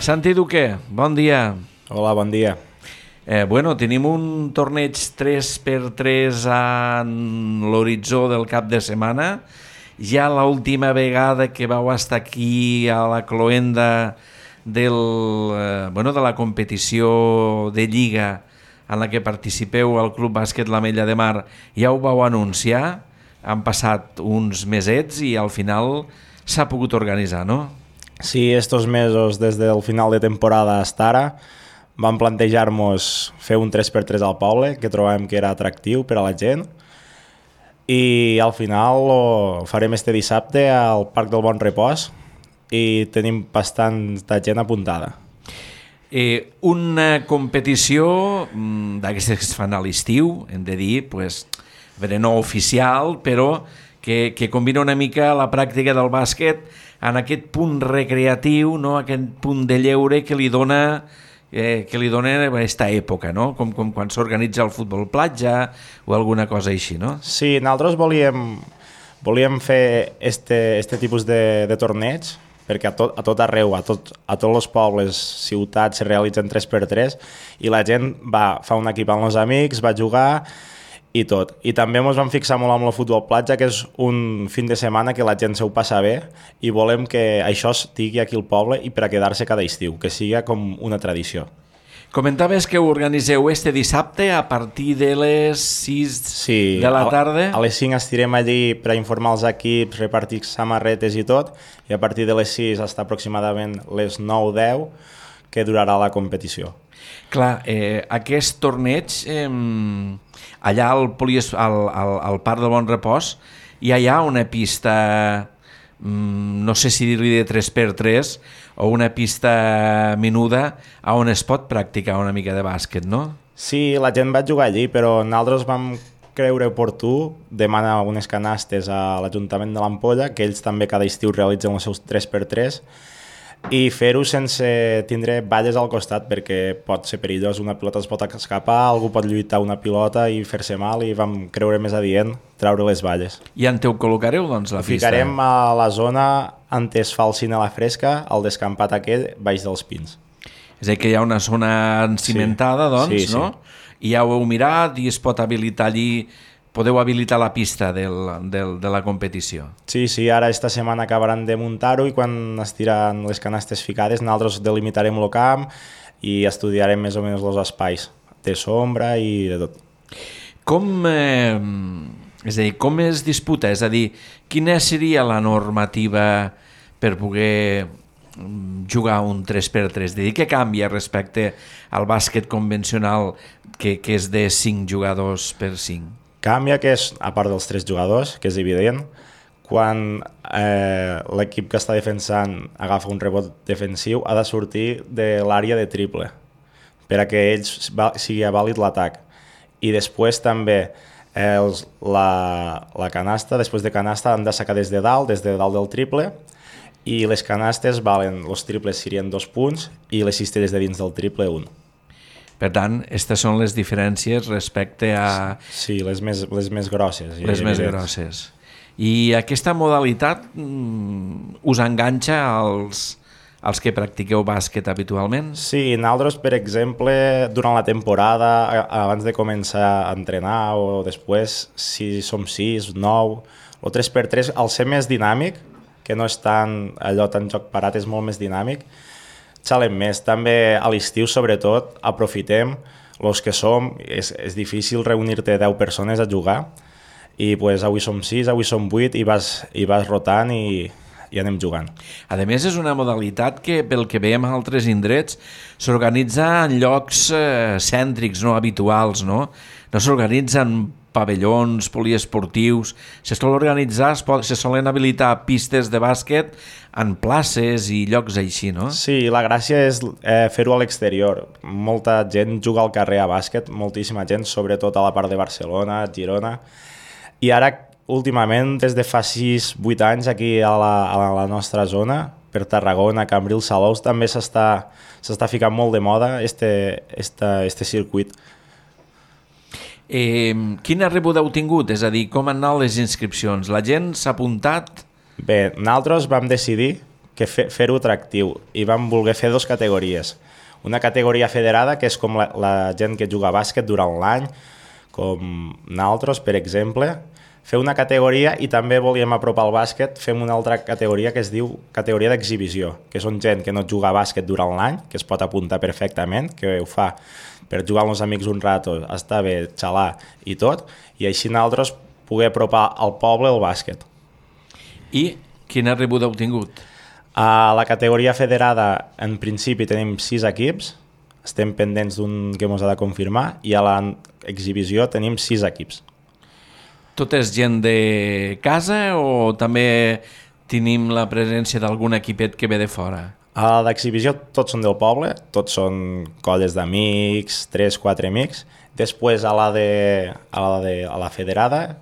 Santi Duque, bon dia. Hola, bon dia. Tenim un torneig 3x3 a l'horitzó del cap de setmana. Ja l'última vegada que vau estar aquí a la cloenda de la competició de Lliga en la que participeu al Club Bàsquet l'Ametlla de Mar, ja ho vau anunciar, han passat uns mesets i al final s'ha pogut organitzar, no? Sí, estos mesos, des del final de temporada hasta ara, vam plantejar-nos fer un 3x3 al poble, que trobàvem que era atractiu per a la gent, i al final ho farem este dissabte al Parc del Bon Repòs i tenim bastanta gent apuntada. Una competició d'aquestes que es fan a l'estiu, hem de dir, no oficial, però que combina una mica la pràctica del bàsquet en aquest punt recreatiu, no? Aquest punt de lleure que li dona aquesta època, no? Com quan s'organitza el futbol platja o alguna cosa així, no? Sí, nosaltres volíem fer este tipus de torneig, perquè a tot arreu, a tots els pobles, ciutats, se realitzen 3x3 i la gent fa un equip amb els amics, va jugar i tot. I també ens vam fixar molt amb el futbol platja, que és un fin de setmana que la gent se ho passa bé i volem que això estigui aquí al poble i per a quedar-se cada estiu, que sigui com una tradició. Comentaves que ho organiseu este dissabte a partir de les 6 de la tarda. A les 5 estirem allí per a informar els equips, repartir samarretes i tot, i a partir de les 6 fins aproximadament les 9-10 que durarà la competició. Clar, aquest torneig, allà al Parc del Bon Repòs, ja hi ha una pista, no sé si dir-li de 3x3, o una pista menuda on es pot practicar una mica de bàsquet, no? Sí, la gent va jugar allí, però nosaltres vam creure oportú demanar unes canastes a l'Ajuntament de l'Ampolla, que ells també cada estiu realitzen els seus 3x3, i fer-ho sense tindre valles al costat, perquè pot ser perillós, una pilota es pot escapar, algú pot lluitar una pilota i fer-se mal, i vam creure més adient treure les valles. I on ho col·locareu, doncs, la pista? Ficarem a la zona on es fa el cine a la fresca, al descampat aquell, baix dels pins. És a dir, que hi ha una zona encimentada, doncs, sí. No? I ja ho heu mirat i es pot habilitar allí, podeu habilitar la pista de la competició. Sí, ara esta setmana acabaran de muntar-ho i quan estiran les canastes ficades nosaltres delimitarem el camp i estudiarem més o menys els espais de sombra i de tot. Com es disputa? És a dir, quina seria la normativa per poder jugar un 3x3? És a dir, què canvia respecte al bàsquet convencional que és de 5 jugadors per 5? Canvia que és, a part dels 3 jugadors, que és evident, quan l'equip que està defensant agafa un rebot defensiu ha de sortir de l'àrea de triple per a que ells sigui vàlid l'atac. I després també la canasta, després de canasta han de sacar des de dalt del triple, i les canastes valen, els triples serien 2 punts i les cistelles de dins del triple 1. Per tant, aquestes són les diferències respecte a... Sí, les més grosses. Les més grosses. I aquesta modalitat us enganxa als que practiqueu bàsquet habitualment? Sí, nosaltres, per exemple, durant la temporada, abans de començar a entrenar o després, si som 6, 9, o 3x3, al ser més dinàmic, que no és tan joc parat, és molt més dinàmic, xalem més. També a l'estiu, sobretot, aprofitem els que som. És difícil reunir-te 10 persones a jugar i avui som 6, avui som 8 i vas rotant i anem jugant. A més, és una modalitat que, pel que veiem a altres indrets, s'organitza en llocs cèntrics, no habituals, no? No s'organitza en pavellons poliesportius, se solen habilitar pistes de bàsquet en places i llocs així, no? Sí, la gràcia és fer-ho a l'exterior. Molta gent juga al carrer a bàsquet, moltíssima gent, sobretot a la part de Barcelona, Girona, i ara, últimament, des de fa 6-8 anys, aquí a la nostra zona, per Tarragona, Cambrils, Salous, també s'està ficant molt de moda este circuit. Quina rebuda heu tingut? És a dir, com han anat les inscripcions? La gent s'ha apuntat? Bé, nosaltres vam decidir que fer-ho atractiu i vam voler fer 2 categories. Una categoria federada, que és com la gent que juga a bàsquet durant l'any, com nosaltres, per exemple. Fer una categoria i també volíem apropar el bàsquet, fem una altra categoria que es diu categoria d'exhibició, que són gent que no juga a bàsquet durant l'any, que es pot apuntar perfectament, que ho fa per jugar amb els amics un rato, estar bé, xalar i tot, i així nosaltres poder apropar al poble el bàsquet. I quina rebuda heu tingut? A la categoria federada, en principi, tenim 6 equips, estem pendents d'un que ens ha de confirmar, i a l'exhibició tenim 6 equips. Tot és gent de casa o també tenim la presència d'algun equipet que ve de fora? A l'exhibició tots són del poble, tots són colles d'amics, 3-4 amics. Després a la federada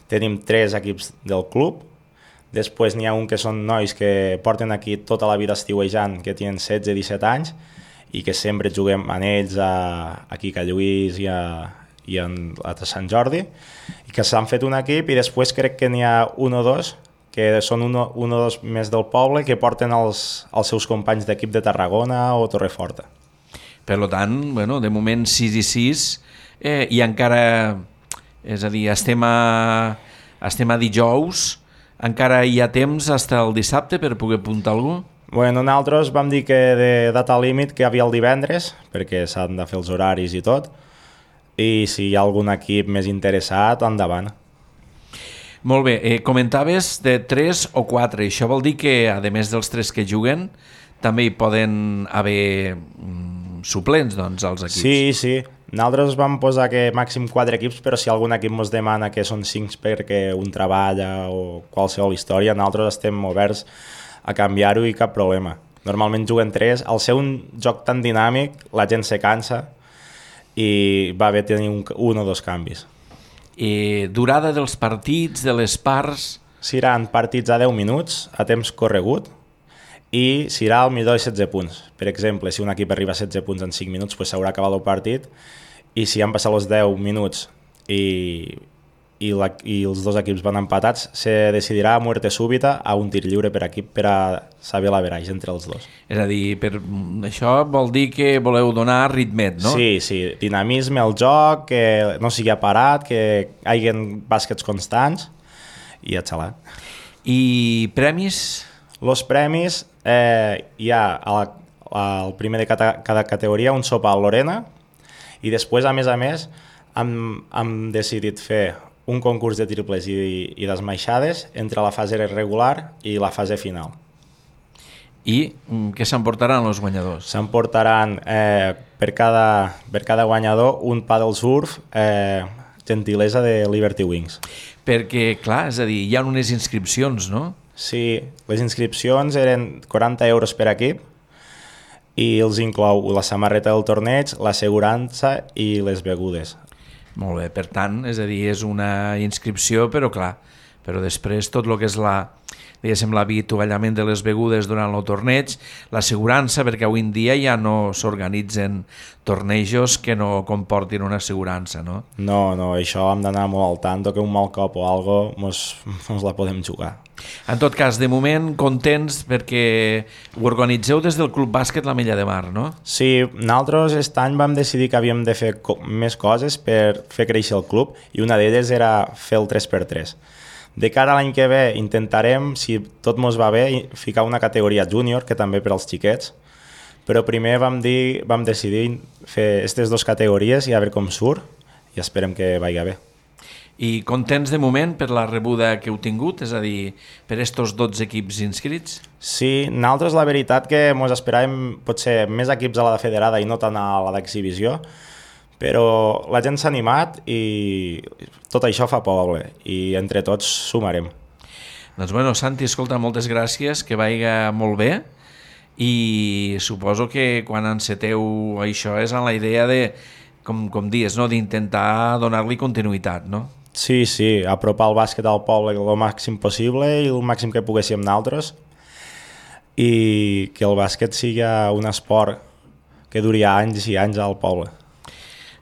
tenim 3 equips del club. Després n'hi ha un que són nois que porten aquí tota la vida estiuejant, que tenen 16-17 anys i que sempre juguem amb ells aquí a Lluís i a Sant Jordi, i que s'han fet un equip, i després crec que n'hi ha un o dos que són un o dos més del poble que porten els seus companys d'equip de Tarragona o Torreforta. Per tant, bueno, de moment 6 i 6 i encara, és a dir, estem a dijous, encara hi ha temps fins al dissabte per poder apuntar algú? Bueno, nosaltres vam dir que de data límit que hi havia el divendres, perquè s'han de fer els horaris i tot, i si hi ha algun equip més interessat, endavant. Molt bé, comentaves de 3 o 4, això vol dir que, a més dels 3 que juguen, també hi poden haver suplents, doncs, als equips. Sí. Nosaltres vam posar que màxim 4 equips, però si algun equip ens demana que són 5 perquè un treballa o qualsevol història, nosaltres estem oberts a canviar-ho i cap problema. Normalment juguen 3. Al ser un joc tan dinàmic, la gent se cansa i va bé tenir un o 2 canvis. I durada dels partits, de les parts? Seran partits a 10 minuts, a temps corregut, i serà al millor de 16 punts. Per exemple, si un equip arriba a 16 punts en 5 minuts, s'haurà acabat el partit, i si han passat els 10 minuts i els 2 equips van empatats, se decidirà a muerte súbita a un tir lliure per equip per a saber l'average entre els dos. És a dir, això vol dir que voleu donar ritmet, no? Sí, dinamisme al joc, que no sigui parat, que hi hagi bàsquets constants i a xalar. I premis? Els premis, hi ha al primer de cada categoria un sopar a Lorena, i després, a més, hem decidit fer un concurs de triples i d'esmaixades entre la fase regular i la fase final. I què s'emportaran els guanyadors? S'emportaran per cada guanyador un paddle surf gentilesa de Liberty Wings. Perquè, clar, és a dir, hi ha unes inscripcions, no? Sí, les inscripcions eren 40 euros per equip i els inclou la samarreta del torneig, l'assegurança i les begudes. Molt bé, per tant, és a dir, és una inscripció, però clar, però després tot el que és l'avituallament de les begudes durant el torneig, l'assegurança, perquè avui en dia ja no s'organitzen tornejos que no comportin una assegurança, no? No, això hem d'anar molt al tanto, que un mal cop o algo mos la podem jugar. En tot cas, de moment, contents perquè ho organitzeu des del Club Bàsquet La Mella de Mar, no? Sí, nosaltres aquest any vam decidir que havíem de fer més coses per fer créixer el club, i una d'elles era fer el 3x3. De cara a l'any que ve intentarem, si tot mos va bé, ficar una categoria júnior, que també per als xiquets, però primer vam decidir fer aquestes 2 categories i a veure com surt, i esperem que vagi bé. I contents de moment per la rebuda que heu tingut, és a dir, per estos 12 equips inscrits? Sí, nosaltres la veritat que ens esperàvem potser més equips a la federada i no tant a la d'exhibició, però la gent s'ha animat i tot això fa poble i entre tots sumarem. Doncs bueno, Santi, escolta, moltes gràcies, que vagi molt bé, i suposo que quan enceteu això és en la idea de, com dius, no? D'intentar donar-li continuïtat, no? Sí, apropar el bàsquet al poble el màxim possible i el màxim que poguéssim nosaltres, i que el bàsquet sigui un esport que duri anys i anys al poble.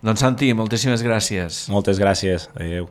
Doncs Santi, moltíssimes gràcies. Moltes gràcies. Adéu.